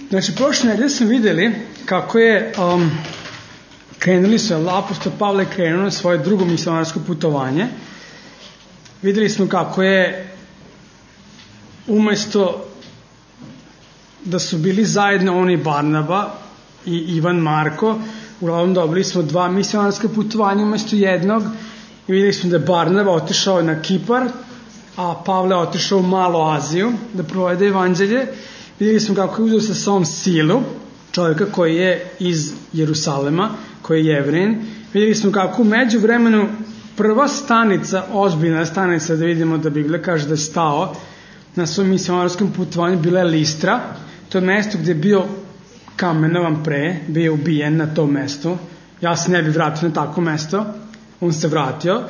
Znači, prošle nedelje smo videli kako je krenuli su, apostol Pavle krenuo na svoje drugo misionarsko putovanje. Videli smo kako je umesto da su bili zajedno oni Barnaba i Ivan Marko, uglavnom dobili smo 2 misionarska putovanja umesto jednog i videli smo da je Barnaba otišao na Kipar, a Pavle otišao u Malu Aziju da provede evanđelje. Videli smo kako je uzeo sa sobom Silu, čovjeka koji je iz Jerusalema, koji je Jevrin. Videli smo kako u međuvremenu prva stanica, ozbiljna stanica, da vidimo da Biblija kaže da je stao na svom misionarskom putovanju, bila je Listra. To je mesto gdje je bio kamenovan pre, bio je ubijen na tom mestu. Ja se ne bi vratio na tako mesto, on se vratio.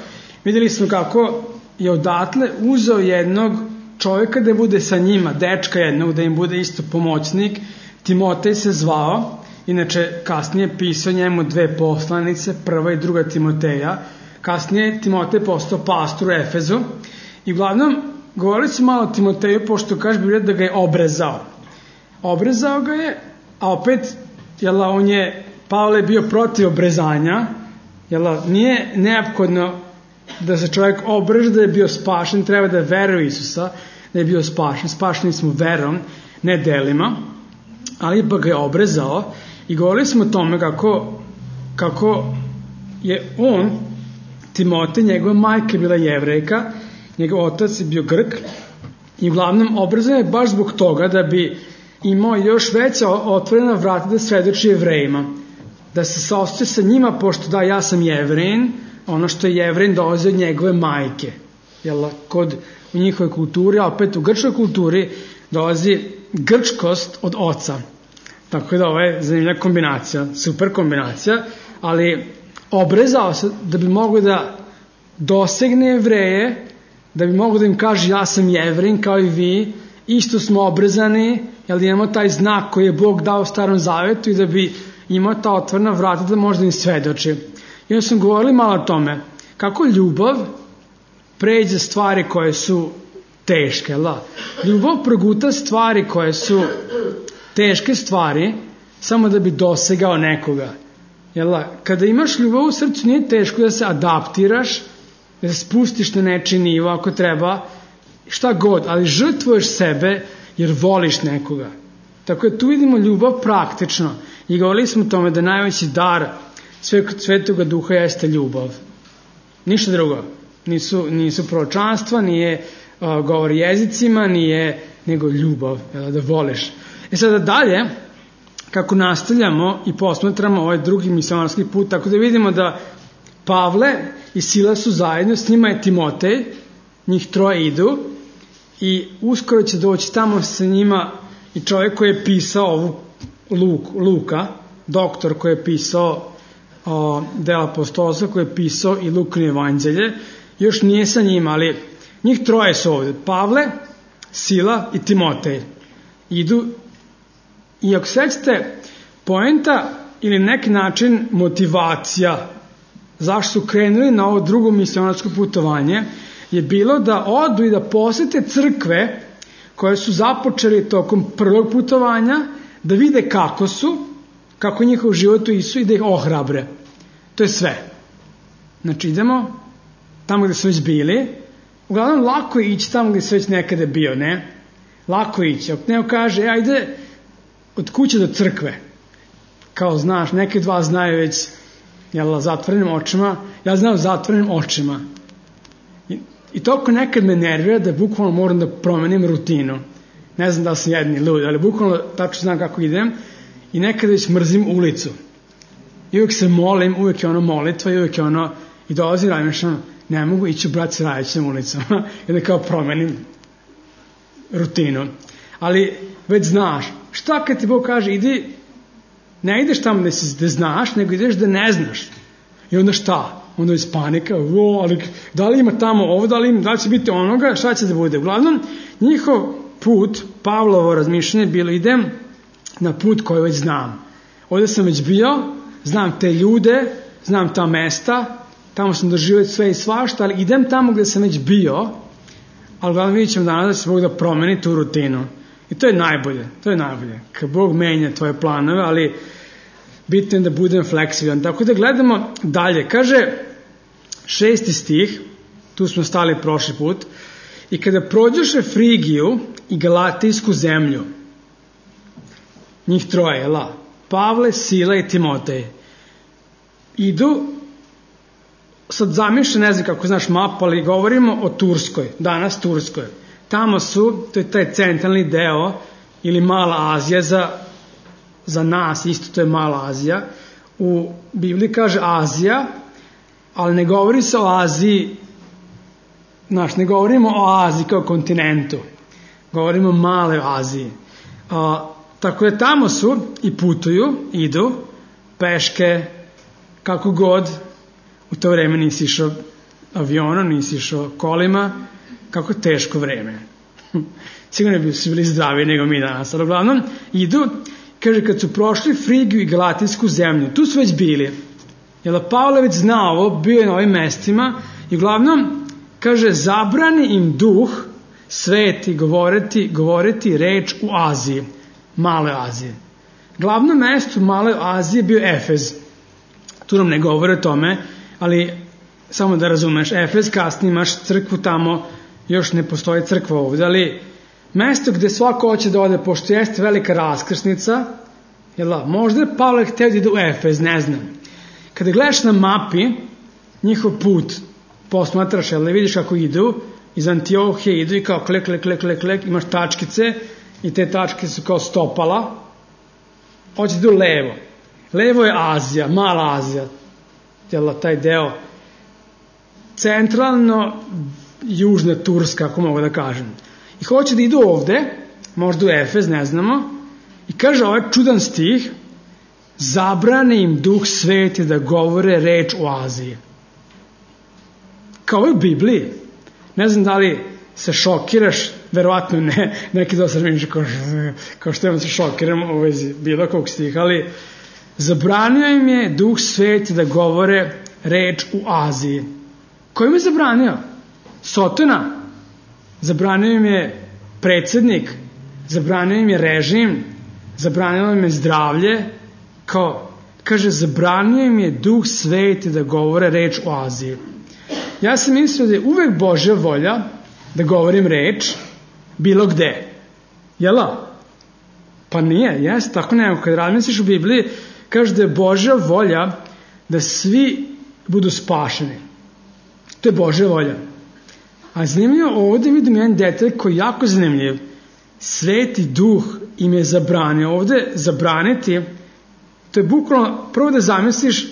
Videli smo kako je odatle uzeo jednog čovjeka da bude sa njima, dečka jednog, da im bude isto pomoćnik. Timotej se zvao, inače kasnije pisao njemu 2 poslanice, prva i druga Timoteja. Kasnije Timotej postao pastor u Efezu i uglavnom govorili su malo o Timoteju, pošto kaže Biblija da ga je obrezao. Obrezao ga je, a opet Pavle je bio protiv obrezanja, nije neophodno da se čovjek obreže da je bio spašen, treba da veruje Isusa da je bio spašen. Spašeni smo verom, ne delima, ali ipak ga je obrezao i govorili smo o tome kako je on, Timotej, njegova majka je bila Jevrejka, njegov otac je bio Grk i uglavnom obrazan je baš zbog toga da bi imao još veća otvorena vrata da svedoči Jevrejima, da se saostaje sa njima, pošto ja sam Jevrin, ono što je Jevrin dolazi od njegove majke, u njihovoj kulturi, a opet u grčkoj kulturi dolazi grčkost od oca. Tako da ovo je zanimljiva kombinacija, super kombinacija, ali obrezao se da bi mogo da dosegne Jevreje, da bi mogo da im kaže ja sam Jevrin kao i vi, isto smo obrezani, jer imamo taj znak koji je Bog dao u Starom Zavetu i da bi imao ta otvorena vrata da možda im svedoči. I onda smo govorili malo o tome kako ljubav pređe stvari koje su teške. Ljubav proguta stvari koje su teške stvari samo da bi dosegao nekoga. Kada imaš ljubav u srcu nije teško da se adaptiraš, da se spustiš na nečiji nivo ako treba, šta god, ali žrtvuješ sebe jer voliš nekoga. Tako da tu vidimo ljubav praktično i govorili smo o tome da najveći dar Svetoga Duha jeste ljubav. Ništa drugo. Nisu proročanstva, nije govor jezicima, nego ljubav, da voliš. Sada dalje, kako nastavljamo i posmatramo ovaj drugi misionarski put, tako da vidimo da Pavle i Sila su zajedno, s njima je Timotej, njih 3 idu i uskoro će doći tamo sa njima i čovjek koji je pisao ovu Luka, doktor koji je pisao dela apostolstva, koji je pisao i Lukino evanđelje, još nije sa njima, ali njih 3 su ovdje, Pavle, Sila i Timotej. Idu i ako sećate, poenta ili neki način motivacija zašto su krenuli na ovo drugo misionarsko putovanje je bilo da odu i da posete crkve koje su započeli tokom prvog putovanja, da vide kako njihov život u Isu i da ih ohrabre. To je sve. Znači idemo tamo gdje su već bili. Uglavnom lako je ići tamo gdje su već nekada bio, ne? Lako je ići. Ako neko kaže, ajde od kuće do crkve. Kao znaš, neke 2 znaju već zatvorenim očima. Ja znam zatvorenim očima. I toliko nekad me nervira da bukvalno moram da promenim rutinu. Ne znam da sam jedni lud, ali bukvalno tačno znam kako idem i nekad već mrzim ulicu. I uvijek se molim, uvijek je ono molitva i uvijek je ono, i dolazi razmišljam, ne mogu ići u Bratci Rajićem ulicom i da kao promenim rutinu. Ali već znaš, šta kad ti Bog kaže, ne ideš tamo da znaš, nego ideš da ne znaš. I onda šta? Onda je panika, ali da li ima tamo ovo, da li će biti onoga, šta će da bude? Uglavnom, njihov put, Pavlovo razmišljanje bilo idem na put koji već znam. Ovdje sam već bio, znam te ljude, znam ta mesta, tamo sam doživio sve i svašta, ali idem tamo gdje sam već bio, ali uglavnom vidjet ćemo danas da će Bog da promeni tu rutinu I to je najbolje. Kad Bog menja tvoje planove, ali bitno je da budem fleksibilan. Tako da gledamo dalje. Kaže 6. stih, tu smo stali prošli put, i kada prođoše Frigiju i Galatijsku zemlju, njih troje, Pavle, Sila i Timotej, idu, sad zamišljam, ne znam kako znaš mapu, ali govorimo o Turskoj, danas Turskoj. Tamo su, to je taj centralni deo, ili Mala Azija, za nas isto to je Mala Azija. U Bibliji kaže Azija, ali ne govori se o Aziji, ne govorimo o Aziji kao kontinentu, govorimo o Maloj Aziji. Tako da tamo su i putuju, idu, peške, kako god, u to vreme nisi išao avionom, nisi išao kolima, kako teško vreme. Sigurno bi su bili zdravi nego mi danas, ali uglavnom idu, kaže, kad su prošli Frigiju i Galatijsku zemlju, tu su već bili, jer Pavle već zna ovo, bio je na ovim mestima i uglavnom, kaže, zabrani im duh sveti govoriti reč u Aziji, Maloj Aziji. Glavno mesto u Maloj Aziji je bio Efez. Tu nam ne govore o tome, ali samo da razumeš, Efez, kasnije imaš crkvu tamo, još ne postoji crkva ovdje, ali mesto gde svako hoće da ode, pošto jeste velika raskrsnica, možda je Pavle hteo da ide u Efez, ne znam. Kada gledaš na mapi njihov put, posmatraš, vidiš kako idu, iz Antiohije idu i kao klek, imaš tačkice i te tačke su kao stopala, hoće idu levo. Levo je Azija, Mala Azija, taj deo, centralno južna Turska, ako mogu da kažem. I hoće da idu ovde, možda u Efez, ne znamo, i kaže ovaj čudan stih, zabrane im duh sveti da govore reč u Aziji. Kao u Bibliji. Ne znam da li se šokiraš, verovatno ne, neki da sam mišli kao što se šokiram u vezi bilo kog stiha, ali zabranio im je duh sveti da govore reč u Aziji. Ko im je zabranio? Sotona. Zabranio im je predsjednik, zabranio im je režim, zabranio im je zdravlje, kaže, zabranio im je duh sveti da govore reč u Aziji. Ja sam mislio da je uvek Božja volja da govorim reč bilo gde. Jela? Pa nije, jeste, tako neko. Kad razmisliš u Bibliji, kaže da je Božja volja da svi budu spašeni. To je Božja volja. A zanimljivo, ovdje vidim jedan detalj koji je jako zanimljiv. Sveti duh im je zabranio. Ovdje zabraniti, to je bukvalno, prvo da zamisliš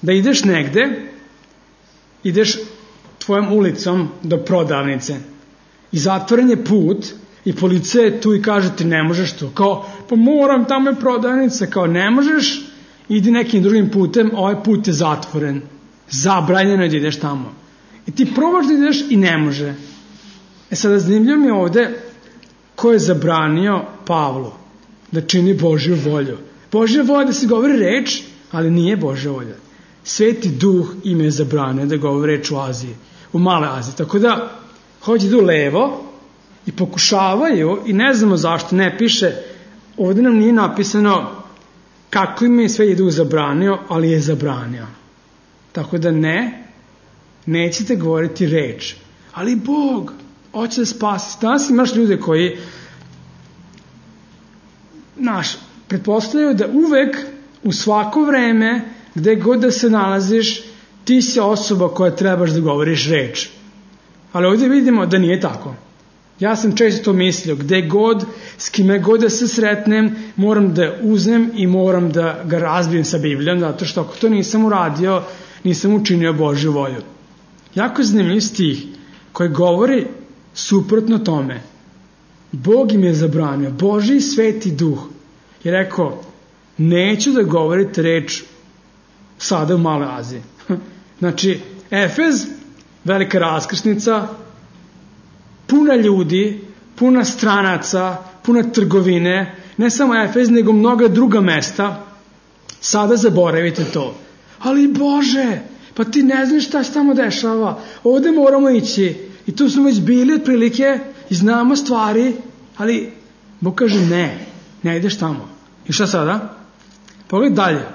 da ideš negde, ideš tvojom ulicom do prodavnice i zatvoren je put i policija je tu i kaže ti ne možeš tu. Pa moram, tamo je prodavnica. Ne možeš, idi nekim drugim putem, ovaj put je zatvoren. Zabranjeno je da ideš tamo. I ti probaš da ideš i ne može. Sada zanimljivo mi je ovde ko je zabranio Pavlu da čini Božju volju. Božja volja da se govori reč, ali nije Božja volja. Sveti duh im je zabranio da govori reč u Aziji, u Maloj Aziji. Tako da hoće idu levo i pokušavaju i ne znamo zašto, ne piše, ovdje nam nije napisano kako im je Sveti duh zabranio, ali je zabranio. Tako da nećete govoriti reč. Ali Bog hoće da spasi. Danas imaš ljude koji pretpostavljaju da uvek u svako vreme gde god da se nalaziš ti si osoba koja trebaš da govoriš reč. Ali ovdje vidimo da nije tako. Ja sam često to mislio, gde god, s kime god da se sretnem, moram da uzmem i moram da ga razbijem sa Biblijom, zato što ako to nisam uradio, nisam učinio Božju volju. Jako zanimljiv stih koji govori suprotno tome. Bog im je zabranio, Božji sveti duh je rekao, neću da govorite reč sada u Maloj Aziji. Znači, Efez, velika raskrsnica, puna ljudi, puna stranaca, puna trgovine, ne samo Efez, nego mnoga druga mesta, sada zaboravite to. Ali Bože, pa ti ne znaš šta se tamo dešava, ovdje moramo ići, i tu smo već bili otprilike i znamo stvari, ali Bog kaže ne ideš tamo. I šta sada? Pogledaj dalje.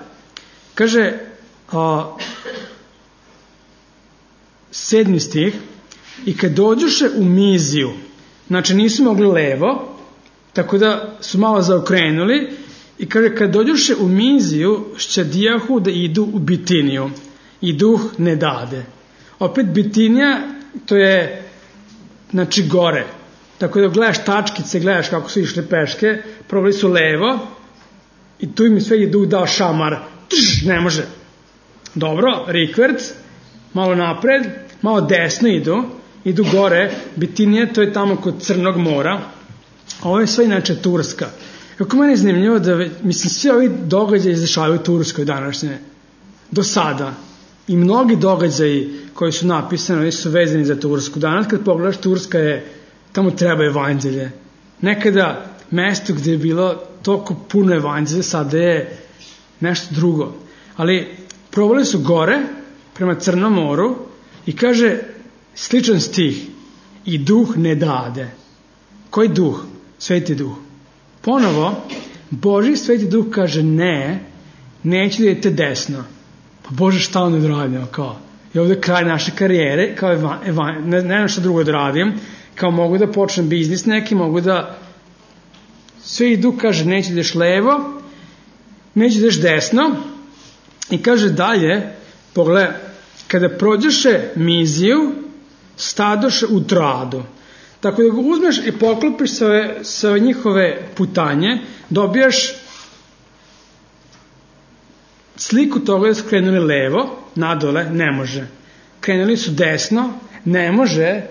Kaže 7. stih, i kad dođoše u Miziju, znači nisu mogli levo, tako da su malo zaokrenuli, i kaže kad dođoše u Miziju, šćadijahu da idu u Bitiniju, i duh ne dade. Opet Bitinija, to je znači gore, tako da gledaš tačkice, gledaš kako su išli peške, probali su levo i tu im sve je duh dao šamar, ne može. Dobro, rikverc, malo napred, malo desno idu gore, Bitinija, to je tamo kod Crnog mora, ovo je sve inače Turska. Kako meni je zanimljivo da, mislim, svi ovi događaji izdešavaju u Turskoj današnje, do sada. I mnogi događaji koji su napisani, oni su vezani za Tursku. Danas kad pogledaš, Turska je, tamo treba evanđelje. Nekada mesto gdje je bilo toliko puno evanđelja, sada je nešto drugo. Ali probali su gore, prema Crnom moru, i kaže sličan stih, i duh ne dade. Koji duh? Sveti duh. Ponovo, Božji sveti duh kaže neću da idete desno. Pa Bože, šta on odradio? Kao, je ovdje kraj naše karijere, kao ne znam šta drugo da radim, kao mogu da počnem biznis neki, mogu da sveti duh kaže neću da ideš levo, neću da ideš desno, i kaže dalje, pogledaj, kada prođeše Miziju, stadoše u Troadu. Tako da ga uzmeš i poklopiš sa njihove putanje, dobijaš sliku toga da su krenuli levo, nadole, ne može. Krenuli su desno, ne može.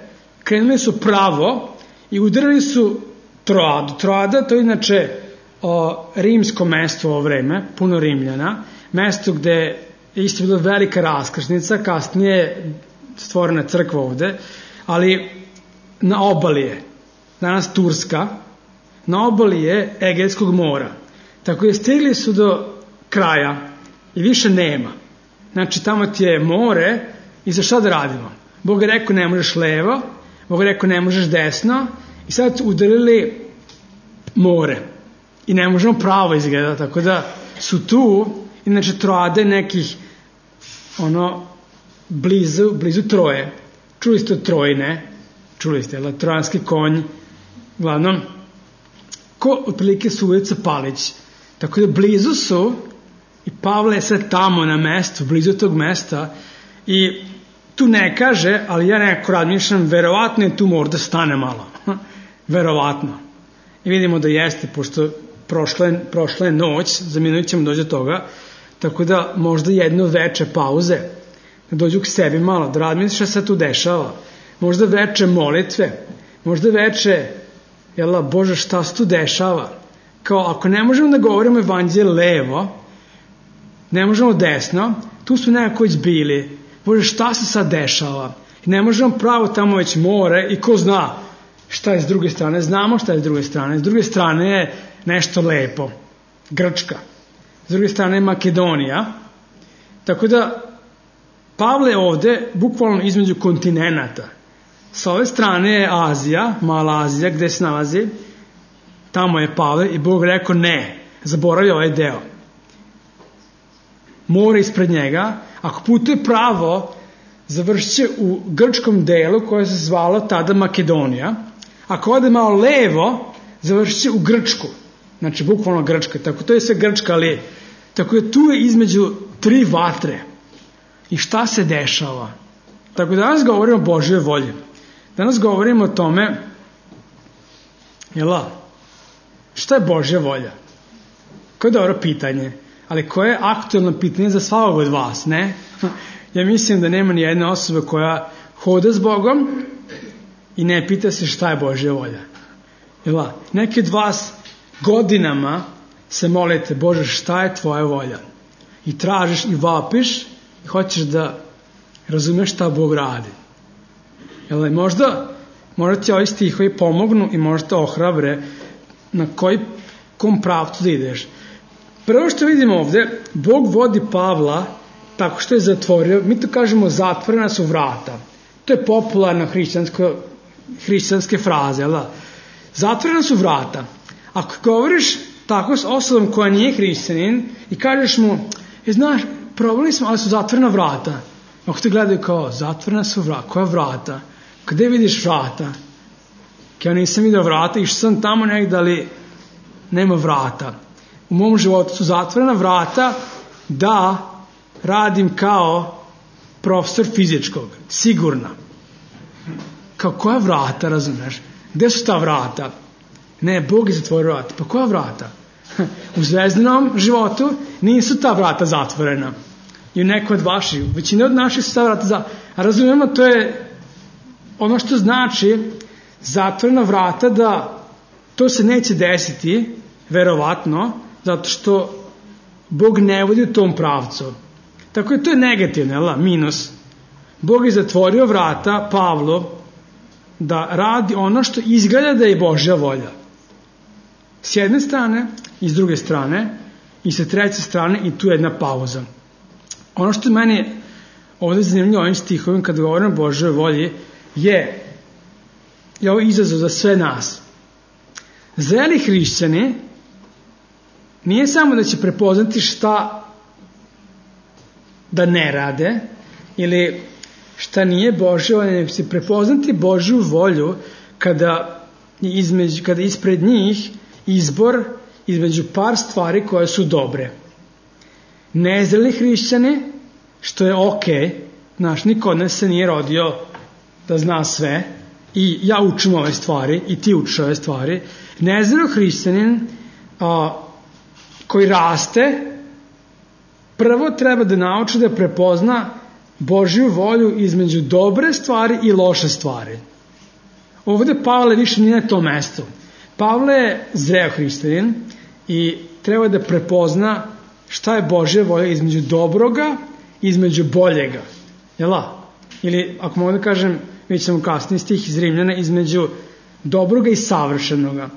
Krenuli su pravo i udarili su Troadu. Troada, to je inače rimsko mesto u ovo vreme, puno Rimljana, mesto gde je isto bila velika raskrsnica, kasnije je stvorena crkva ovde, ali na obali je, danas Turska, na obali je Egejskog mora. Tako je stigli su do kraja i više nema. Znači tamo ti je more i za šta da radimo? Bog je rekao ne možeš levo, Bog je rekao ne možeš desno i sad su udarili more i ne možemo pravo izgledati, tako da su tu, inače Troade nekih blizu Troje. Čuli ste o Troji, ne? Čuli ste, trojanski konj, glavnom, ko otprilike su ulica Palić. Tako da blizu su, i Pavle je sad tamo na mestu, blizu tog mesta, i tu ne kaže, ali ja nekako razmišljam, verovatno je tu možda stane malo. Verovatno. I vidimo da jeste, pošto prošla je noć, za minut ćemo doći do toga, tako da možda jedno veče pauze, da dođu k sebi malo, da razmisli šta se tu dešava. Možda veče molitve, možda veče, Bože, šta se tu dešava? Kao, ako ne možemo da govorimo evanđelje levo, ne možemo desno, tu su nekako već bili. Bože, šta se sad dešava? I ne možemo pravo, tamo već more, i ko zna šta je s druge strane? Znamo šta je s druge strane. S druge strane je nešto lepo. Grčka. S druge strane je Makedonija. Tako da, Pavle je ovde, bukvalno između kontinenata. Sa ove strane je Azija, mala Azija, gde se nalazi. Tamo je Pavle i Bog rekao ne, zaboravlja ovaj deo. More ispred njega, ako putuje pravo, završit će u grčkom delu koje se zvalo tada Makedonija. Ako ode malo levo, završit će u Grčku. Znači, bukvalno Grčka. Tako to je sve Grčka, ali tako je tu je između tri vatre. I šta se dešava? Tako da danas govorimo o Božjoj volji. Danas govorimo o tome, šta je Božja volja? Koje je dobro pitanje, ali koje je aktualno pitanje za svakog od vas, ne? Ja mislim da nema ni jedne osobe koja hoda s Bogom i ne pita se šta je Božja volja. Neki od vas godinama se molite, Bože, šta je tvoja volja? I tražiš i vapiš i hoćeš da razumeš šta Bog radi. Možda ti ovi stihovi pomognu i možda te ohrabre na kom pravcu da ideš. Prvo što vidimo ovde, Bog vodi Pavla tako što je zatvorio, mi to kažemo zatvorena su vrata. To je popularna hrišćanske fraze, Zatvorena su vrata. Ako govoriš tako s osobom koja nije hrišćanin i kažeš mu, znaš, probali smo, ali su zatvorena vrata. Ako te gledaju kao, zatvorena su vrata, koja vrata? Gde vidiš vrata? Ja nisam vidio vrata, išao sam tamo negdje, ali nema vrata. U mom životu su zatvorena vrata da radim kao profesor fizičkog, sigurno. Kao koja vrata, razumeš? Gde su ta vrata? Ne, Bog je zatvorio vrata. Pa koja vrata? U zvezdanom životu nisu ta vrata zatvorena. I u neko od vaših, većina od naših su ta vrata zatvorena. A razumijemo, to je ono što znači zatvorena vrata, da to se neće desiti, verovatno, zato što Bog ne vodi u tom pravcu. Tako je to je negativno, minus. Bog je zatvorio vrata Pavlu da radi ono što izgleda da je Božja volja. S jedne strane i s druge strane i sa treće strane, i tu je jedna pauza. Ono što meni ovdje zanimljivo ovim stihovima kad govorim o Božjoj volji je ovo izazov za sve nas. Zreli hrišćani nije samo da će prepoznati šta da ne rade ili šta nije Božja volja, nego će prepoznati Božju volju kada ispred njih izbor između par stvari koje su dobre. Nezreli hrišćani, što je znaš, niko od nas se nije rodio da zna sve, i ja učim ove stvari i ti učiš ove stvari. Nezreli hrišćanin koji raste, prvo treba da nauči da prepozna Božju volju između dobre stvari i loše stvari. Ovdje Pavle više nije na tom mestu. Pavle je zreo hrišćanin i treba da prepozna šta je Božja volja između dobroga i između boljega. Ili, ako mogu da kažem, vidjet ćemo kasnije stih iz Rimljana, između dobroga i savršenoga.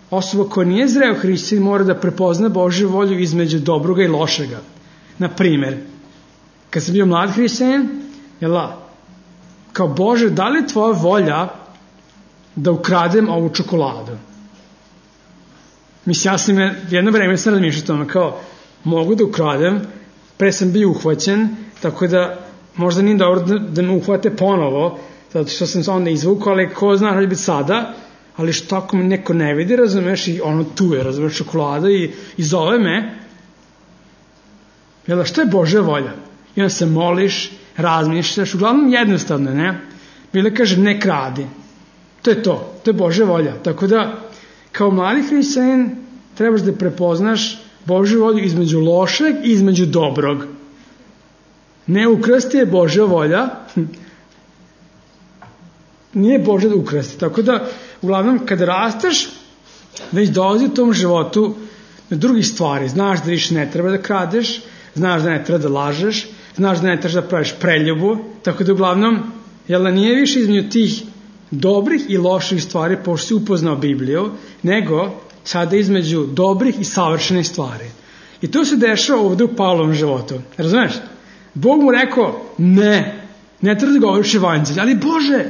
Osoba koja nije zreo hrišćanin mora da prepozna Božju volju između dobroga i lošega. Na primjer, kad sam bio mlad hrišćanin, kao Bože, da li je tvoja volja da ukradem ovu čokoladu? Mislim, ja sam jedno vreme sam razmišljao tome, kao, mogu da ukradem, pre sam bio uhvaćen, tako da možda nije dobro da me uhvate ponovo, zato što sam se onda izvukao, ali ko zna da će biti sada, ali što ako me neko ne vidi, razumeš, i ono tu je, razumeš, čokolada i zove me, što je Božja volja? I onda se moliš, razmišljaš, uglavnom jednostavno, ne? Bile kaže, ne kradi. To je Božja volja. Tako da, kao mladi hrišćanin, trebaš da prepoznaš Božju volju između lošeg i između dobrog. Ne ukrasti je Božja volja, nije Božja da ukrasti. Tako da, uglavnom, kada rasteš, već dolazi u tom životu na drugih stvari. Znaš da više ne treba da kradeš, znaš da ne treba da lažeš, znaš da ne trebaš da praviš preljubu, tako da uglavnom, nije više između tih dobrih i loših stvari, pošto si upoznao Bibliju, nego sada između dobrih i savršenih stvari. I to se dešava ovdje u Pavlovom životu. Razumeš? Bog mu rekao, ne treba da govoriš evanđelje, ali Bože,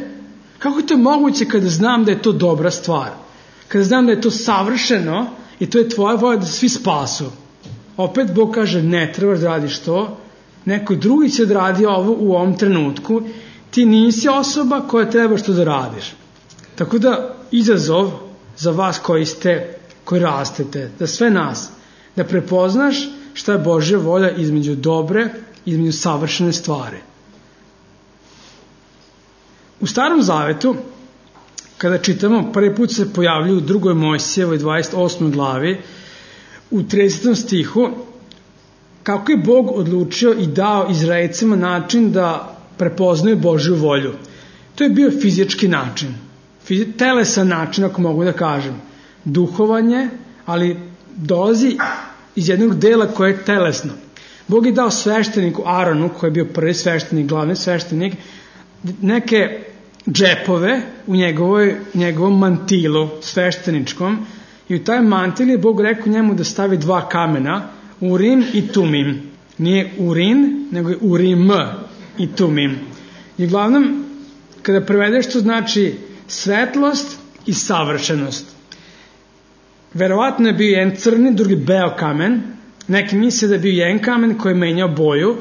kako je to moguće kada znam da je to dobra stvar? Kada znam da je to savršeno i to je tvoja volja da svi spasu. Opet Bog kaže, ne trebaš da radiš to, neko drugi će da radi ovo u ovom trenutku, ti nisi osoba koja trebaš to da radiš. Tako da izazov za vas koji rastete, za sve nas, da prepoznaš šta je Božja volja između dobre i između savršene stvari. U Starom Zavetu, kada čitamo, prvi put se pojavljuju u 2. Mojsijevoj 28. glavi, u 30. stihu, kako je Bog odlučio i dao Izraelcima način da prepoznaju Božju volju. To je bio fizički način, telesan način, ako mogu da kažem. Duhovanje, ali dolazi iz jednog dela koje je telesno. Bog je dao svešteniku Aronu, koji je bio prvi sveštenik, glavni sveštenik, neke džepove u njegovom mantilu svešteničkom, i u taj mantil je Bog rekao njemu da stavi 2 kamena, Urim i Tumim. Nije Urin, nego je Urim i Tumim. I uglavnom, kada prevedeš, to znači svetlost i savršenost. verovatno je bio jedan crni, drugi beo kamen. Neki misle da je bio jedan kamen koji je menjao boju.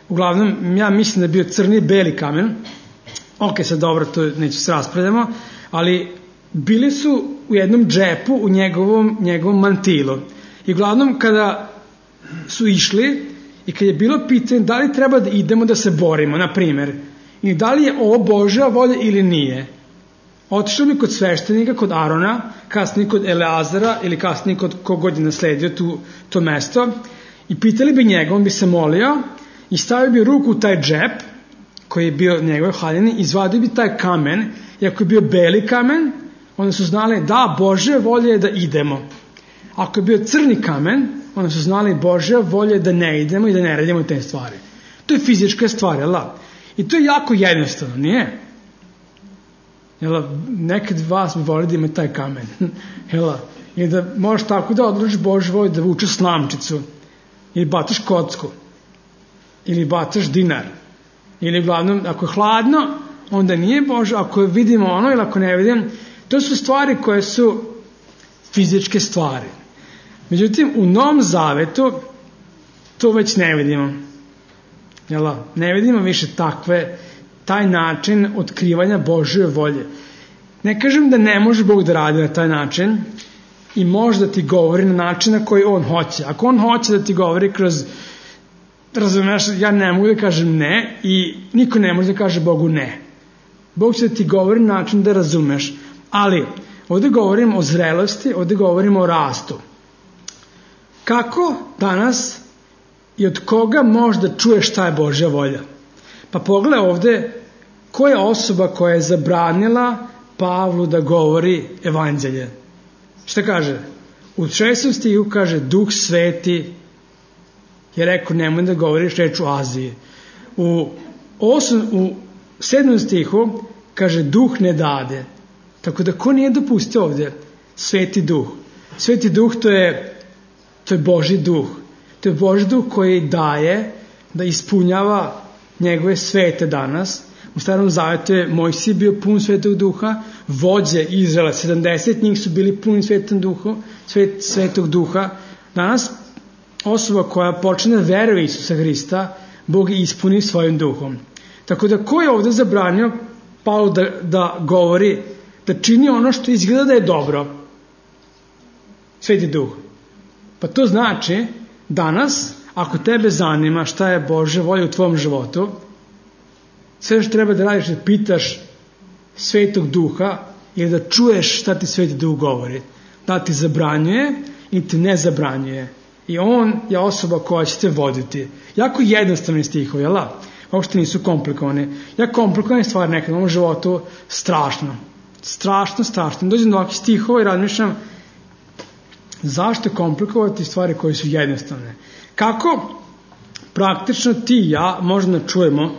Uglavnom, ja mislim da je bio crni i beli kamen. Ok, sad dobro, to neću se raspravljamo, ali bili su u jednom džepu u njegovom mantilu. I uglavnom, kada su išli i kad je bilo pitanje da li treba da idemo da se borimo, na primjer, i da li je ovo Božja volja ili nije, otišli bi kod sveštenika, kod Arona, kasnije kod Eleazara ili kasnije kod kogod je nasledio to mesto i pitali bi njega, on bi se molio i stavio bi ruku u taj džep koji je bio njegove haljine, izvadio bi taj kamen i ako je bio beli kamen, onda su znali da Božja volja je da idemo. Ako je bio crni kamen, onda su znali Božja volja je da ne idemo i da ne radimo te stvari. To je fizička stvar, jel? I to je jako jednostavno, nije? Jel, nekad vas bi volili da ima taj kamen. Jel, i da možeš tako da odlučiš Božju volju da vučeš slamčicu ili bataš kocku ili bataš dinar ili uglavnom ako je hladno onda nije Božja, ako vidimo ono ili ako ne vidimo, to su stvari koje su fizičke stvari. Međutim, u Novom Zavetu to već ne vidimo. Jel, ne vidimo više taj način otkrivanja Božje volje. Ne kažem da ne može Bog da radi na taj način i može da ti govori na način na koji on hoće. Ako on hoće da ti govori kroz, razumeš, ja ne mogu da kažem ne i niko ne može da kaže Bogu ne. Bog će da ti govori na način da razumeš. Ali, ovdje govorimo o zrelosti, ovdje govorimo o rastu. Kako danas i od koga možda čuješ šta je Božja volja? Pa pogledaj ovdje koja je osoba koja je zabranila Pavlu da govori evanđelje. Šta kaže? U 6. stihu kaže Duh Sveti je rekao nemoj da govoriš reč u Aziji. U 7. stihu kaže Duh ne dade. Tako da ko nije dopustio ovdje? Sveti Duh. Sveti Duh to je Božji Duh. To je Božji Duh koji daje da ispunjava njegove svete danas. U Starom Zavetu je Mojsije bio pun Svetog Duha, vođe Izraela, 70 njih su bili puni Svetog Duha. Danas osoba koja počne da veruje Isusa Hrista, Bog je ispuni svojim duhom. Tako da ko je ovdje zabranio Pavlu da govori, da čini ono što izgleda da je dobro? Sveti Duh. Pa to znači danas, ako tebe zanima šta je Božja volja u tvom životu, sve što treba da radiš da pitaš Svetog Duha ili da čuješ šta ti Sveti Duh govori. Da ti zabranjuje ili ti ne zabranjuje. I on je osoba koja će te voditi. Jako jednostavni stihovi, jel? Uopšte nisu komplikovani. Ja komplikovane stvari nekad u ovom životu strašno. Dođem do ovakvih stihova i razmišljam zašto komplikovati stvari koje su jednostavne. Kako praktično ti i ja možemo da čujemo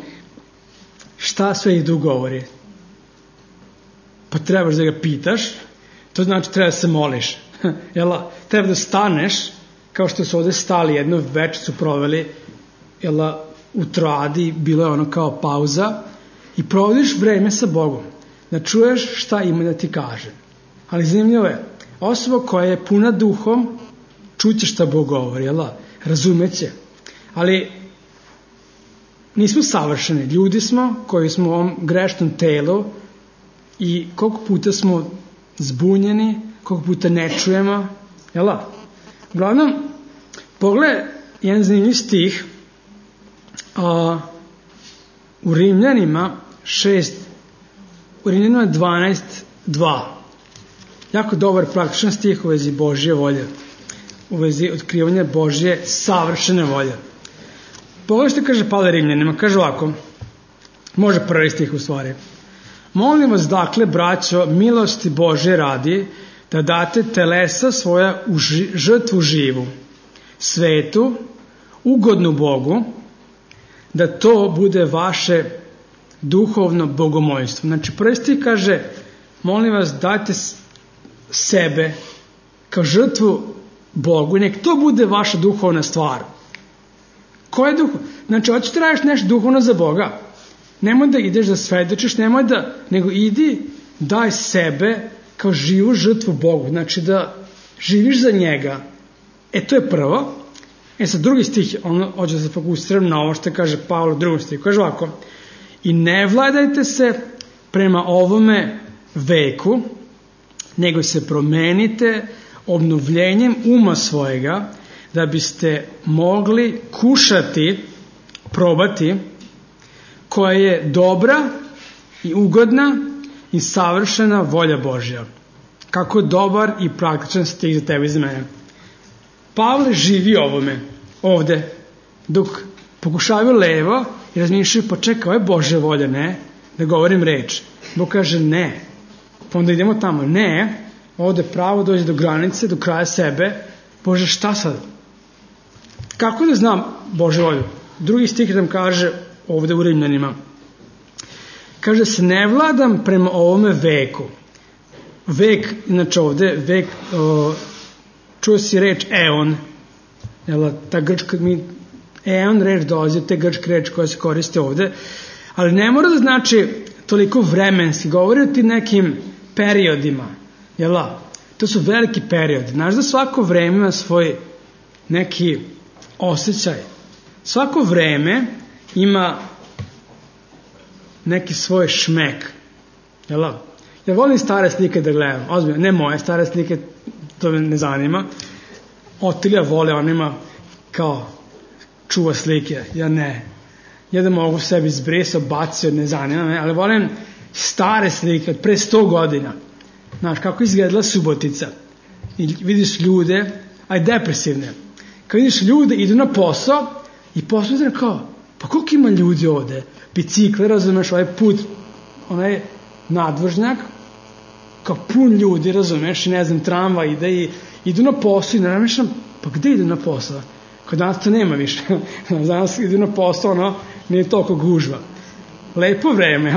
šta Sveti Duh govori? Pa trebaš da ga pitaš, to znači treba da se moliš. Treba da staneš, kao što su ovdje stali, jednu večer su proveli u Troadi, bilo je ono kao pauza, i provodiš vreme sa Bogom, da čuješ šta ima da ti kaže. Ali zanimljivo je, osoba koja je puna duhom, čuće šta Bog govori, razumeće. Ali nismo savršeni, ljudi smo koji smo u ovom grešnom telu i koliko puta smo zbunjeni, koliko puta ne čujemo, Uglavnom, pogledaj jedan zanimljiv stih u Rimljanima 12:2. Jako dobar praktičan stih u vezi Božje volje, u vezi otkrivanja Božje savršene volje. Pogledaj što kaže Pavle Rimljanima, kaže ovako, može prvi stih u stvari. Molim vas dakle, braćo, milosti Božje radi, da date telesa svoja u žrtvu živu, svetu, ugodnu Bogu, da to bude vaše duhovno bogomolstvo. Znači, prvi stih kaže, molim vas, dajte sebe kao žrtvu Bogu i nek to bude vaša duhovna stvar. Ko je duhovno? Znači, hoćeš da radiš nešto duhovno za Boga. Nemoj da ideš da svedočiš, nego idi, daj sebe kao živu žrtvu Bogu. Znači, da živiš za njega. To je prvo. Sad drugi stih, on hoće da se fokusiram na ovo što kaže Pavle u drugom stihu. Kaže ovako: i ne vladajte se prema ovome veku, nego se promenite obnovljenjem uma svojega, da biste mogli kušati, probati, koja je dobra i ugodna i savršena volja Božja. Kako je dobar i praktičan stih za tebe i za mene. Pavle živi ovde, dok pokušavaju levo i razmišljaju, pa čekaj, ovo je Božja volja, ne, da govorim reč. Bog kaže ne, pa onda idemo tamo, ne, ovde pravo dođe do granice, do kraja sebe. Bože, šta sad? Kako da znam Božju volju? Drugi stih nam kaže ovde u Rimljanima. Kaže se, ne vladam prema ovome veku. Vek, znači ovde, vek, čuo si reč eon, ta grčka, eon reč dolazi od te grčke reč koja se koriste ovde, ali ne mora da znači toliko vremenski, govori o tim nekim periodima, to su veliki periodi. Znaš da svako vreme ima svoj neki osjećaj. Svako vreme ima neki svoj šmek. Ja volim stare slike da gledam, ozbiljno, ne moje stare slike, to me ne zanima. Otilija vole, on ima kao čuva slike, ja ne. Ja da mogu sebi izbrisao, bacio, ne zanima me, ali volim stare slike od pre 100 godina. Znaš, kako izgledala Subotica. I vidiš ljude, depresivne. Kad vidiš ljude, idu na posao i posao kao, pa koliko ima ljudi ovde? Bicikle, razumeš, ovaj put, onaj nadvožnjak, kao pun ljudi, razumeš, i ne znam, tramvaj ide i idu na posao i ne razmišljam, pa gde idu na posao? Kod danas to nema više. Danas idu na posao, nije toliko gužva. Lepo vreme,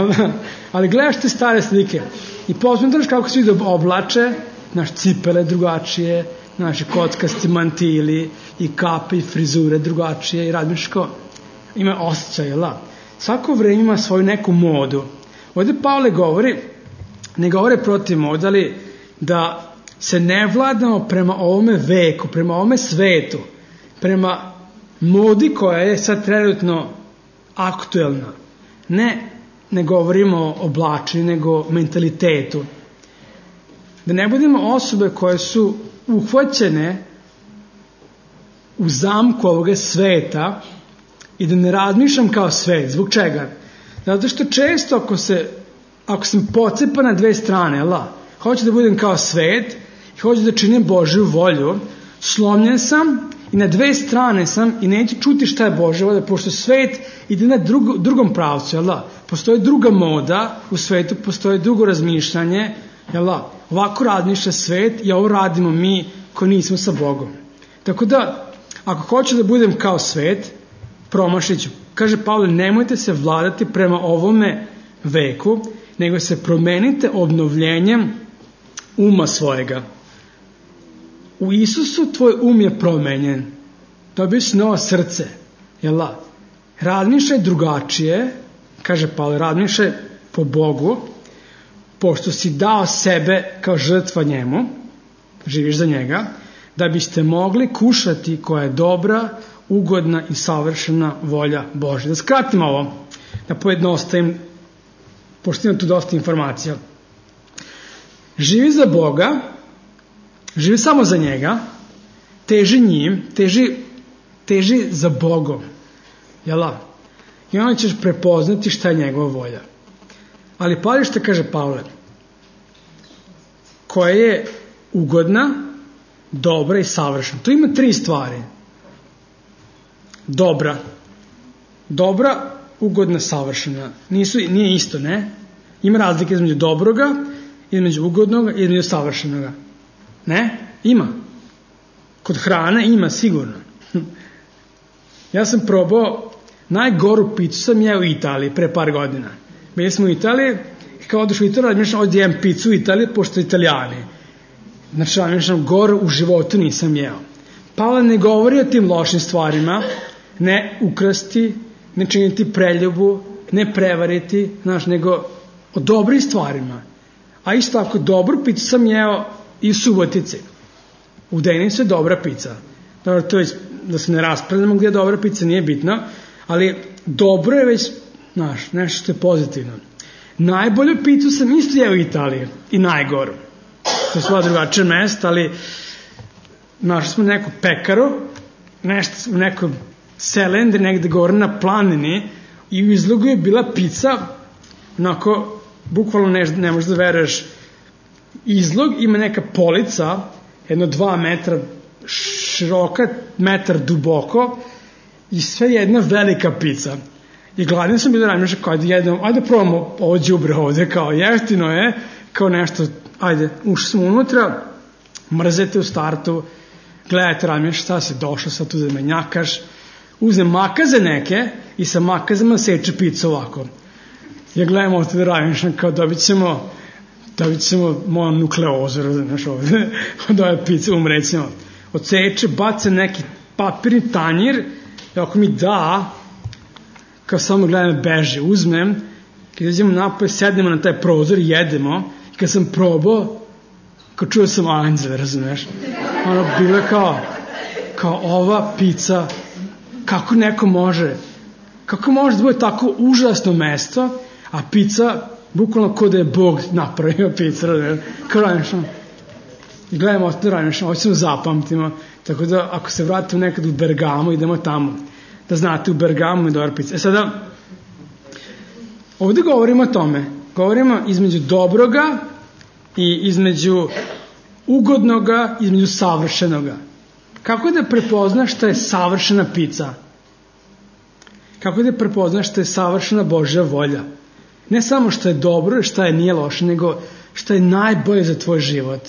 ali gledaš te stare slike i posmatraš kako se vidi oblače, naš cipele drugačije, naši kockasti mantili i kape i frizure drugačije i razmišljaš kao, ima osjećaj, svako vreme ima svoju neku modu. Ovdje Pavle govori, ne govore protiv mode, ali da se ne vladamo prema ovome veku, prema ovome svetu, prema modi koja je sad trenutno aktuelna. Ne govorimo o oblačenju, nego mentalitetu. Da ne budemo osobe koje su uhvaćene u zamku ovoga sveta i da ne razmišljam kao svet. Zbog čega? Zato što često ako sam pocepan na dve strane, hoću da budem kao svet i hoću da činim Božju volju, slomljen sam i na dve strane sam i neću čuti šta je Božja volja, pošto svet ide na drugom pravcu, postoji druga moda u svetu, postoji drugo razmišljanje, ovako razmišlja svet i ovo radimo mi koji nismo sa Bogom. Tako da, ako hoću da budem kao svet, promašit ću. Kaže Pavle, nemojte se vladati prema ovome veku, nego se promenite obnovljenjem uma svojega. U Isusu tvoj um je promenjen. Dobio si novo srce. Razmišljaj drugačije, kaže Pavle, razmišljaj po Bogu, pošto si dao sebe kao žrtva njemu, živiš za njega, da biste mogli kušati koja je dobra, ugodna i savršena volja Božja. Da skratim ovo, da pojednostavim, pošto imam tu dosta informacija. Živi za Boga, živi samo za njega, teži njim, teži za Bogom. I onda ćeš prepoznati šta je njegova volja. Ali pazi što kaže Pavle, koja je ugodna, dobra i savršena. Tu ima 3 stvari. Dobra, ugodna, savršena. Nije isto, ne? Ima razlike između dobroga, između ugodnoga i između savršenoga. Ne? Ima. Kod hrane ima, sigurno. Ja sam probao, najgoru picu sam jeo u Italiji pre par godina. Bili smo u Italiji i kao odeš u Italiju, razmišljam, ovdje jem picu u Italiji, pošto Italijani. Znači, razmišljam, goru u životu nisam jeo. Pavle ne govori o tim lošim stvarima, ne ukrasti, ne činiti preljubu, ne prevariti, nego o dobrim stvarima. A isto tako, dobru picu sam jeo i u Subotici. U Denisu je dobra pizza. Dobro, to je, da se ne raspravljamo gdje je dobra pizza, nije bitno, ali dobro je već, znaš, nešto što je pozitivno. Najbolju pizzu sam isto jeo u Italiji i najgoru. To je sva drugačije mesta, ali našli smo neku pekaru, nešto u nekoj selendri negde gore na planini i u izlogu je bila pizza, onako, bukvalno ne možeš da veruješ, izlog ima neka polica, 2 metra široka, metar duboko i sve jedna velika pizza. I gladni sam bilo ranije, kao ajde probamo ovo đubre ovde, kao jeftino je, kao nešto, ajde, ušli smo unutra, mrzete u startu, gledajte ranije šta si došao sad tu da me njakaš, uzem makaze neke i sa makazama seče pizzu ovako. Ja gledam ovdje da radim, kao dobit ćemo moju nukleozu, znaš ovdje, od ove pizze umrećemo. Odseče, baca neki papirni tanjir i ako mi da, kao samo gledam beže, uzmem, kad izađemo napolje, sednemo na taj prozor i jedemo i kad sam probao, kao čuo sam anđele, razumeš? Ono, bilo je kao ova pizza, kako neko može da bude tako užasno mesto, a pizza, bukvalno kao da je Bog napravio pizza, kao ranišno. I gledamo ovdje ranišno, ovo ćemo zapamtimo, tako da ako se vratimo nekad u Bergamo, idemo tamo, da znate u Bergamo je dobra pizza. Sada, ovdje govorimo o tome, govorimo između dobroga i između ugodnoga, između savršenoga. Kako da prepoznaš šta je savršena pizza? Kako da prepoznaš šta je savršena Božja volja? Ne samo što je dobro i šta je nije loše, nego šta je najbolje za tvoj život.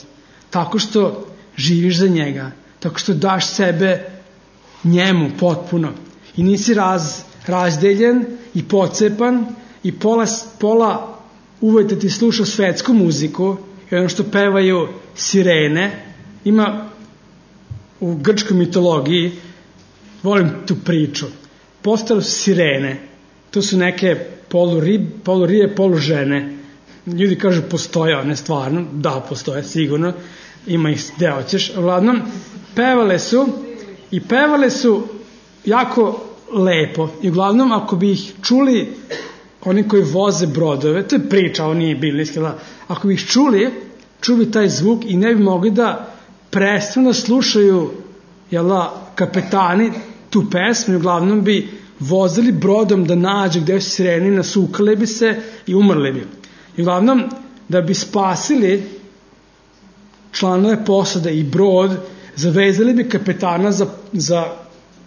Tako što živiš za njega, tako što daš sebe njemu potpuno i nisi razdeljen i pocepan i pola uvojte ti sluša svetsku muziku i ono što pevaju sirene. Ima u grčkoj mitologiji, volim tu priču, postale su sirene, to su neke poluribe, polužene. Ljudi kažu postoje, one stvarno, da postoje, sigurno, ima ih gde hoćeš. Uglavnom, pevale su jako lepo i uglavnom ako bi ih čuli oni koji voze brodove, to je priča, ovo nije biblijski, ako bi ih čuli bi taj zvuk i ne bi mogli da prestanu da slušaju kapetani tu pesmu i uglavnom bi vozili brodom da nađu gde su sireni, nasukali bi se i umrli bi. I uglavnom, da bi spasili članove posade i brod, zavezali bi kapetana za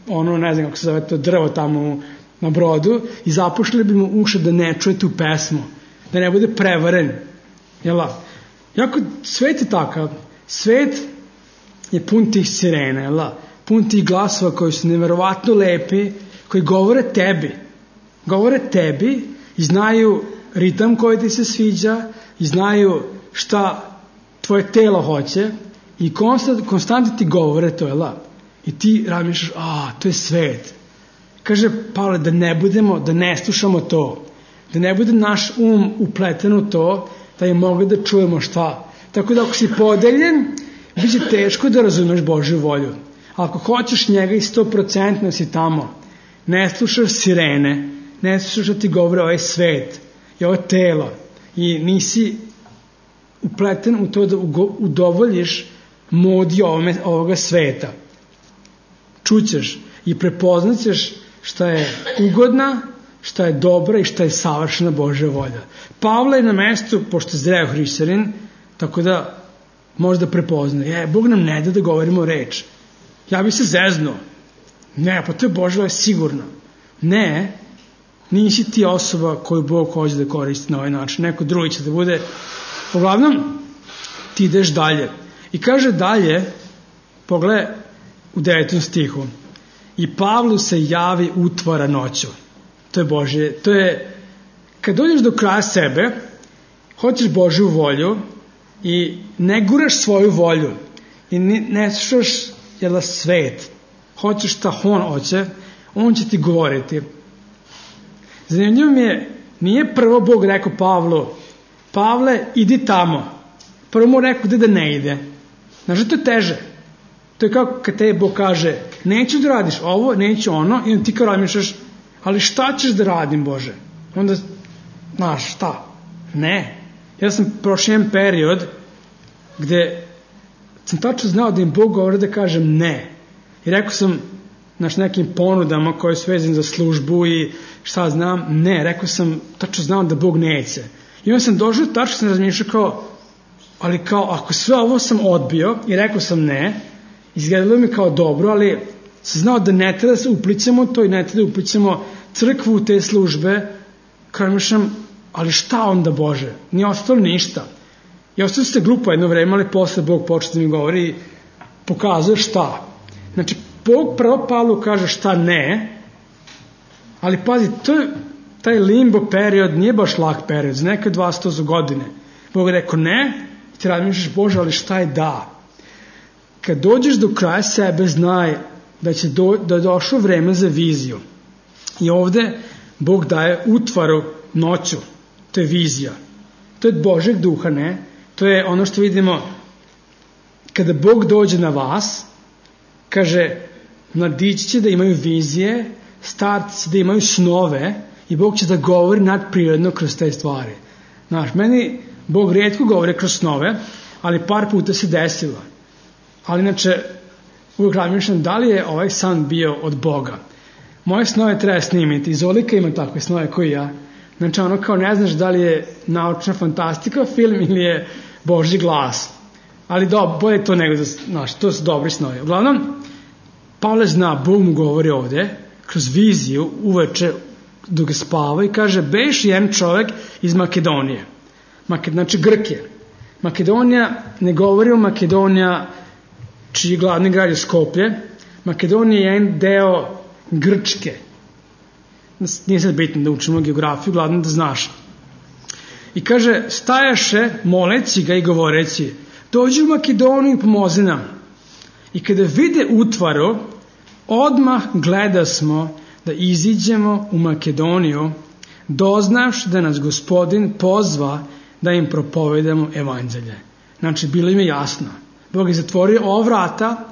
ono, ne znam kako se zove to drvo tamo na brodu i zapušili bi mu uši da ne čuje tu pesmu, da ne bude prevaren. Jako, svet je takav. Svet je pun tih sirena, pun tih glasova koji su neverovatno lepi, koji govore tebi i znaju ritam koji ti se sviđa i znaju šta tvoje telo hoće i konstantno ti govore to, i ti razmišljaš, to je svet. Kaže Pavle, da ne slušamo to, da ne bude naš upleten u to, da je mogli da čujemo šta. Tako da ako si podeljen, bit će teško da razumeš Božju volju. Ako hoćeš njega i 100% si tamo, ne slušaš sirene, ne slušaš da ti govore ovaj svet i ovo telo i nisi upleten u to da udovoljiš modi ovoga sveta. Čućeš i prepoznaćeš šta je ugodna, šta je dobra i šta je savršena Božja volja. Pavle je na mestu, pošto je zreo hrišćanin, tako da možda prepozna. Bog nam ne da govorimo reč. Ja bi se zeznuo. Ne, pa to je Božja volja sigurno. Ne, nisi ti osoba koju Bog hoće da koristi na ovaj način. Neko drugi će da bude. Uglavnom, ti ideš dalje. I kaže dalje, pogledaj u 9. stihu. I Pavlu se javi utvara noću. To je Božje. To je, kad dođeš do kraja sebe, hoćeš Božju volju i ne guraš svoju volju i ne slušaš svet. Hoćeš šta on hoće, on će ti govoriti. Zanimljivo mi je, nije prvo Bog rekao Pavlu, Pavle, idi tamo. Prvo mu rekao da ne ide. Znaš da to je teže? To je kao kad te Bog kaže, neću da radiš ovo, neću ono, i onda ti kao razmišljaš, ali šta ćeš da radim, Bože? Onda, znaš, šta? Ne. Ja sam prošao jedan period gde sam tačno znao da im Bog govori da kažem ne. I rekao sam, nekim ponudama koje su vezane za službu i šta znam, ne. Rekao sam, tačno znao da Bog neće. I onda sam došao, tačno sam razmišljao kao, ali kao, ako sve ovo sam odbio i rekao sam ne, izgledalo mi kao dobro, ali sam znao da ne treba da se uplićamo to i ne treba da uplićamo crkvu u te službe, kao razmišljam, ali šta onda, Bože? Nije ostalo ništa. I ostalo ste glupo jedno vreme, ali posle Bog počne da mi govori i pokazuje šta. Znači, Bog prvo Pavlu kaže šta ne, ali pazi, taj limbo period nije baš lak period, za neke 200 godine. Bog je rekao ne, i ti razmišljaš, Bože, ali šta je da? Kad dođeš do kraja sebe, znaj da da je došlo vreme za viziju. I ovde Bog daje utvaru noću. To je vizija. To je Božeg duha, ne? To je ono što vidimo kada Bog dođe na vas, kaže, mladići će da imaju vizije, starci da imaju snove i Bog će da govori nadprirodno kroz te stvari. Znaš, meni Bog rijetko govori kroz snove, ali par puta se desilo. Ali inače, uvijek razmišljam da li je ovaj san bio od Boga. Moje snove treba snimiti. Zolika ima takve snove koji ja. Znači ono kao ne znaš da li je naučna fantastika film ili je Božji glas. Ali bolje to nego da, znaš, to su dobri snovi. Uglavnom, Pavle zna, Bog mu govori ovde, kroz viziju, uveče, dok ga spava i kaže, beš jedan čovek iz Makedonije. Znači Grke. Makedonija, ne govori o Makedonija čiji glavni grad je Skoplje. Makedonija je jedan deo Grčke. Nije sad bitno da učimo geografiju, glavno da znaš. I kaže, stajaše moleći ga i govoreći, dođi u Makedoniju i pomozi nam. I kada vide utvaru, odmah gleda smo da iziđemo u Makedoniju, doznaš da nas Gospodin pozva da im propovedamo evanđelje. Znači, bilo im je jasno. Bog je zatvorio ova vrata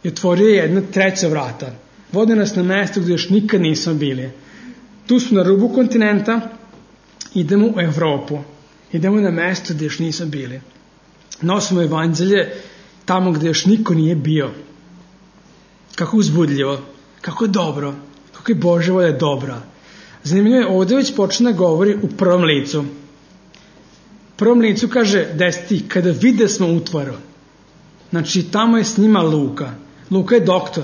i otvorio jedna treća vrata. Vode nas na mesto gdje još nikad nismo bili. Tu smo na rubu kontinenta, idemo u Evropu. Idemo na mesto gdje još nismo bili. Nosimo evanđelje tamo gdje još niko nije bio. Kako uzbudljivo, kako je dobro, kako je Božja volja dobra. Zanimljivo je, ovdje već počne da govori u prvom licu. U prvom licu kaže, deseti, kada vide smo utvaru. Znači, tamo je s njima Luka. Luka je doktor.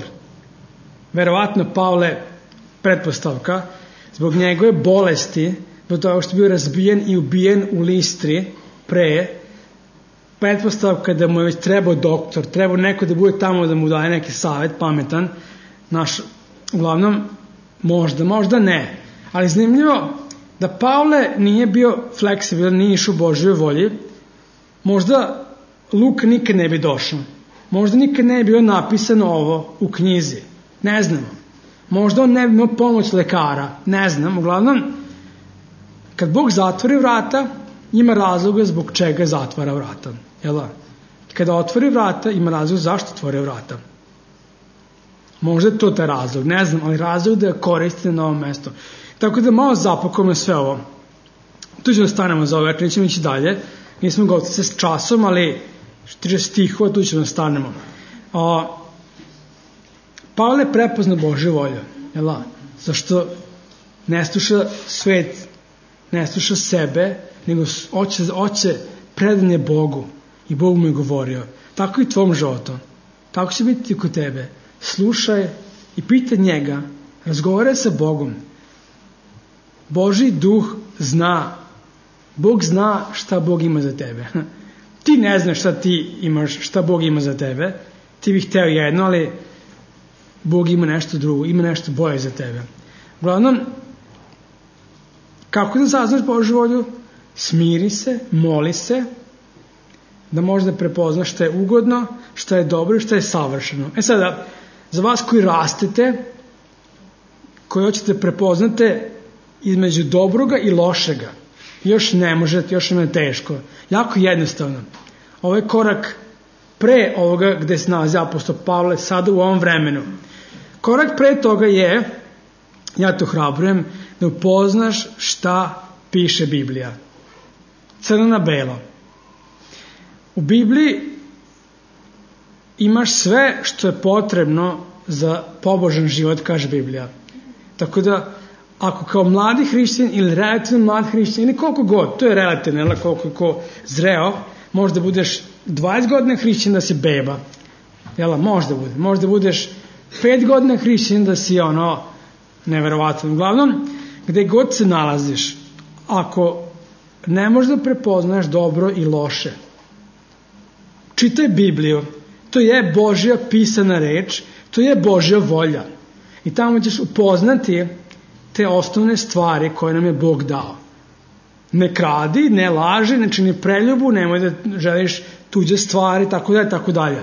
Verovatno Pavle, pretpostavka, zbog njegove bolesti, zbog toga što je bio razbijen i ubijen u Listri pre, pretpostavka da mu je već trebao doktor, trebao neko da bude tamo da mu daje neki savjet pametan, uglavnom, možda ne. Ali zanimljivo da Pavle nije bio fleksibilan, nije išao u Božjoj volji, možda Luka nikad ne bi došao. Možda nikad ne bi bilo napisano ovo u knjizi. Ne znamo. Možda on ne bi imao pomoć lekara. Ne znam. Uglavnom, kad Bog zatvori vrata, ima razloga zbog čega zatvara vrata. Jel? Kada otvori vrata, ima razlog zašto otvori vrata. Možda je to taj razlog. Ne znam, ali razlog da koristite na ovom mestu. Tako da malo zapakujemo sve ovo. Tu ćemo stanemo za ovo večer, nećemo ići dalje. Nismo gotovi s časom, ali što tiče stihova, tu ćemo stanemo. Pavle prepozna Božju volju. Jel? Zašto ne sluša svet, ne sluša sebe, nego hoće predanje Bogu. I Bog mu je govorio. Tako i tvom životu. Tako će biti kod tebe. Slušaj i pitaj njega. Razgovaraj sa Bogom. Božji duh zna. Bog zna šta Bog ima za tebe. Ti ne znaš šta ti imaš, šta Bog ima za tebe. Ti bih hteo jedno, ali Bog ima nešto drugo, ima nešto bolje za tebe. Uglavnom, kako da saznaš Božju volju? Smiri se, moli se, da možda prepoznaš šta je ugodno, šta je dobro i šta je savršeno. Sada, za vas koji rastete, koji hoćete prepoznate između dobroga i lošega, još ne možete, još vam je teško. Jako jednostavno. Ovaj korak pre ovoga gde se nalazi apostol Pavle sada u ovom vremenu. Korak pre toga je, ja to hrabrujem, da upoznaš šta piše Biblija. Crno na belo. U Bibliji imaš sve što je potrebno za pobožan život, kaže Biblija. Tako da, ako kao mladi hrišćanin ili relativno mladi hrišćanin, ili koliko god, to je relativno, ili koliko je ko zreo, možda budeš 20 godina hrišćanin da si beba. Možda budeš 5 godina hrišćanin da si neverovatno. Uglavnom, gde god se nalaziš, ako ne možeš da prepoznaš dobro i loše, čitaj Bibliju. To je Božja pisana reč, to je Božja volja. I tamo ćeš upoznati te osnovne stvari koje nam je Bog dao. Ne kradi, ne laži, ne čini preljubu, nemoj da želiš tuđe stvari, tako dalje.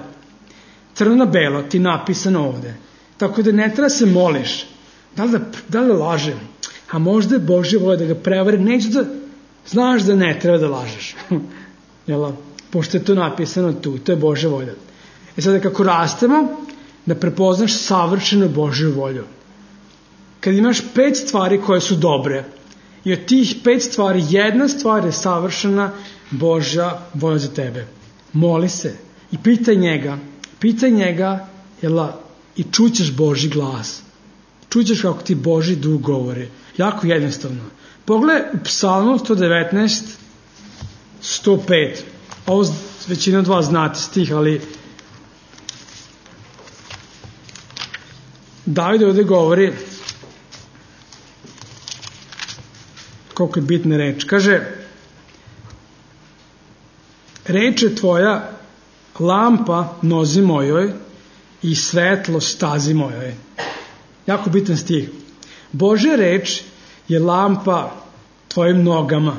Crno na belo ti napisano ovde. Tako da ne treba se moliš. Da li lažem? A možda je Božja volja da ga prevari. Neću da znaš da ne treba da lažeš. Pošto je to napisano tu, to je Božja volja. Sada kako rastemo, da prepoznaš savršenu Božju volju. Kad imaš 5 stvari koje su dobre i od tih 5 stvari jedna stvar je savršena Božja volja za tebe. Moli se i pitaj njega i čućeš Božji glas. Čućeš kako ti Božji duh govori. Jako jednostavno. Pogledaj u Psalmu 119, 105. Ovo većina od vas znate stih, ali David ovdje govori koliko je bitna reč. Kaže, reč je tvoja lampa nozi mojoj i svetlo stazi mojoj. Jako bitan stih. Božja reč je lampa tvojim nogama.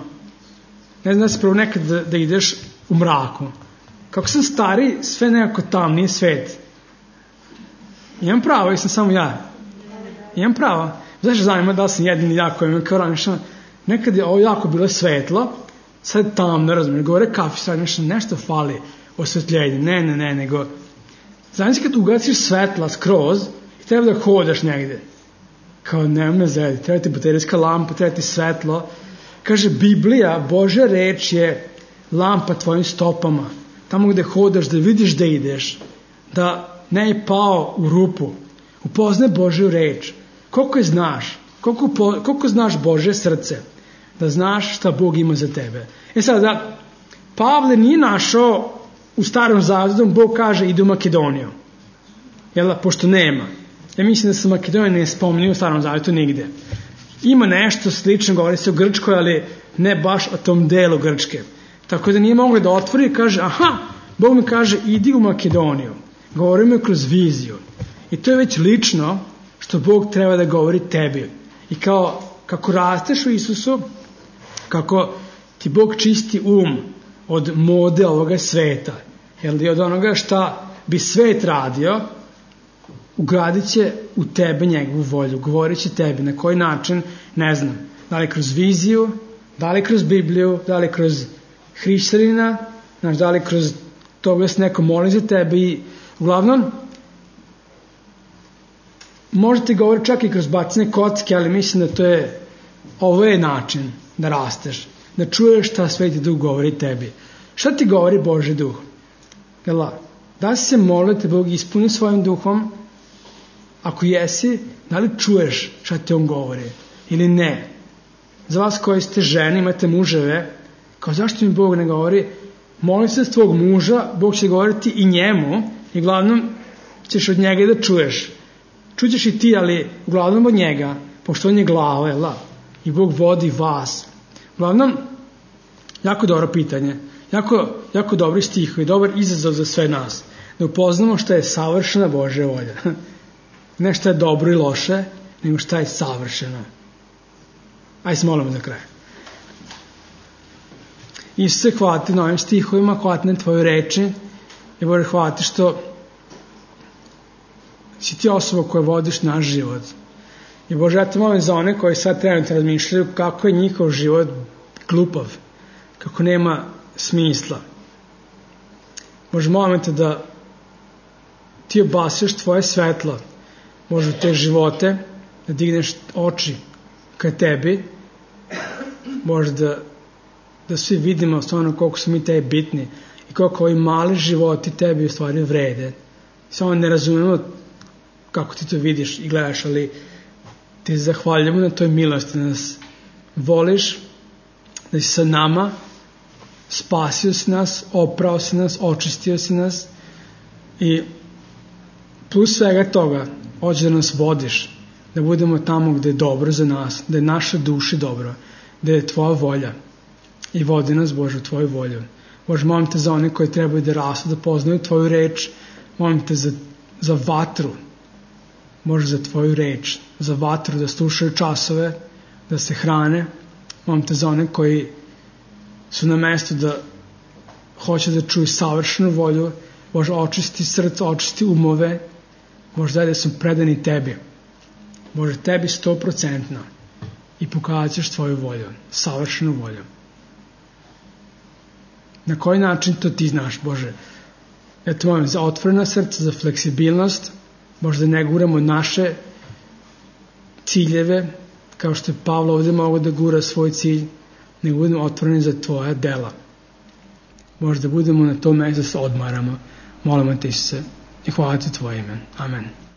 Ne znam da se prvo nekad da ideš u mraku. Kako sam stari, sve nekako tamniji svet. Imam pravo, jesam samo ja. Imam pravo. Znaš zanima da li sam jedini jako imam kao ranije. Nekad je ovo jako bilo svetlo, sad je tamno, razumiješ, govore kafi, sad nešto fali osvetljenje. Ne, nego znači kad ugaciš svetla skroz i treba da hodaš negde. Kao nema me zedi, treba ti baterijska lampa, treba ti svetlo. Kaže Biblija, Božja reč je lampa tvojim stopama. Tamo gde hodaš, da vidiš da ideš, da ne je pao u rupu. Upoznaj Božju reč. Koliko je znaš? Koliko znaš Božje srce? Da znaš šta Bog ima za tebe. Sada, Pavle nije našao u Starom Zavetu, Bog kaže ide u Makedoniju. Pošto nema. Ja mislim da se Makedonija ne spominje u Starom Zavetu nigde. Ima nešto slično, govori se o Grčkoj, ali ne baš o tom delu Grčke. Tako da nije mogli da otvori i kaže, Bog mi kaže idi u Makedoniju. Govori mi kroz viziju. I to je već lično što Bog treba da govori tebi. I kako rasteš u Isusu, kako ti Bog čisti od mode ovoga sveta, i od onoga šta bi svet radio, ugradit će u tebe njegovu volju, govorit će tebi na koji način, ne znam, da li kroz viziju, da li kroz Bibliju, da li kroz hrišćanina, da li kroz toga se neko moli za tebe i uglavnom možete govoriti čak i kroz bacine kocke, ali mislim da ovo je način da rasteš, da čuješ šta Sveti Duh govori tebi. Šta ti govori Božji Duh? Da li se molite Bog ispuni svojim duhom? Ako jesi, da li čuješ šta ti on govori ili ne? Za vas koji ste žene, imate muževe, kao zašto mi Bog ne govori? Moli se s tvog muža, Bog će govoriti i njemu i uglavnom ćeš od njega da čuješ. Čućeš i ti, ali uglavnom od njega, pošto on je glava, i Bog vodi vas. Uglavnom, jako dobro pitanje, jako dobri stihovi, dobar izazov za sve nas, da upoznamo šta je savršena Božja volja. Ne šta je dobro i loše, nego šta je savršeno. Ajde se molimo za kraj. Isuse, hvala ti na ovim stihovima, hvala ti na tvoju reči i Bože, hvala ti što si ti osoba koja vodiš naš život. I Bože, ja te molim za one koji sad trenutno razmišljaju kako je njihov život glupav, kako nema smisla. Bože, molim te da ti obasješ tvoje svetlo, Bože, u te živote, da digneš oči ka tebi, Bože, da svi vidimo stvarno koliko su mi tebi bitni i koliko ovi mali životi tebi u stvari vrede. Samo ne razumemo kako ti to vidiš i gledaš, ali ti zahvaljujemo na toj milosti, da nas voliš, da si sa nama, spasio si nas, oprao si nas, očistio si nas i plus svega toga hoćeš da nas vodiš, da budemo tamo gde je dobro za nas, da je naša duša dobro, da je tvoja volja i vodi nas, Bože, u tvoju volju. Bože, molim te za one koji trebaju da rastu, da poznaju tvoju reč, molim te za vatru, Bože, za tvoju reč, za vatru, da slušaju časove, da se hrane, molim te za one koji su na mestu da hoće da čuju savršenu volju, Bože, očisti srce, očisti umove, Bože, daj da su predani tebi, Bože, tebi 100% i pokazat ćeš tvoju volju, savršenu volju. Na koji način to ti znaš, Bože? Ja te molim za otvorena srca, za fleksibilnost, Bože, da ne guramo naše ciljeve, kao što je Pavle ovdje mogao da gura svoj cilj, nego budemo otvoreni za tvoja dela. Bože, da budemo na tom mjestu da se odmaramo. Molimo te, Isuse, i hvala ti tvoje ime. Amen.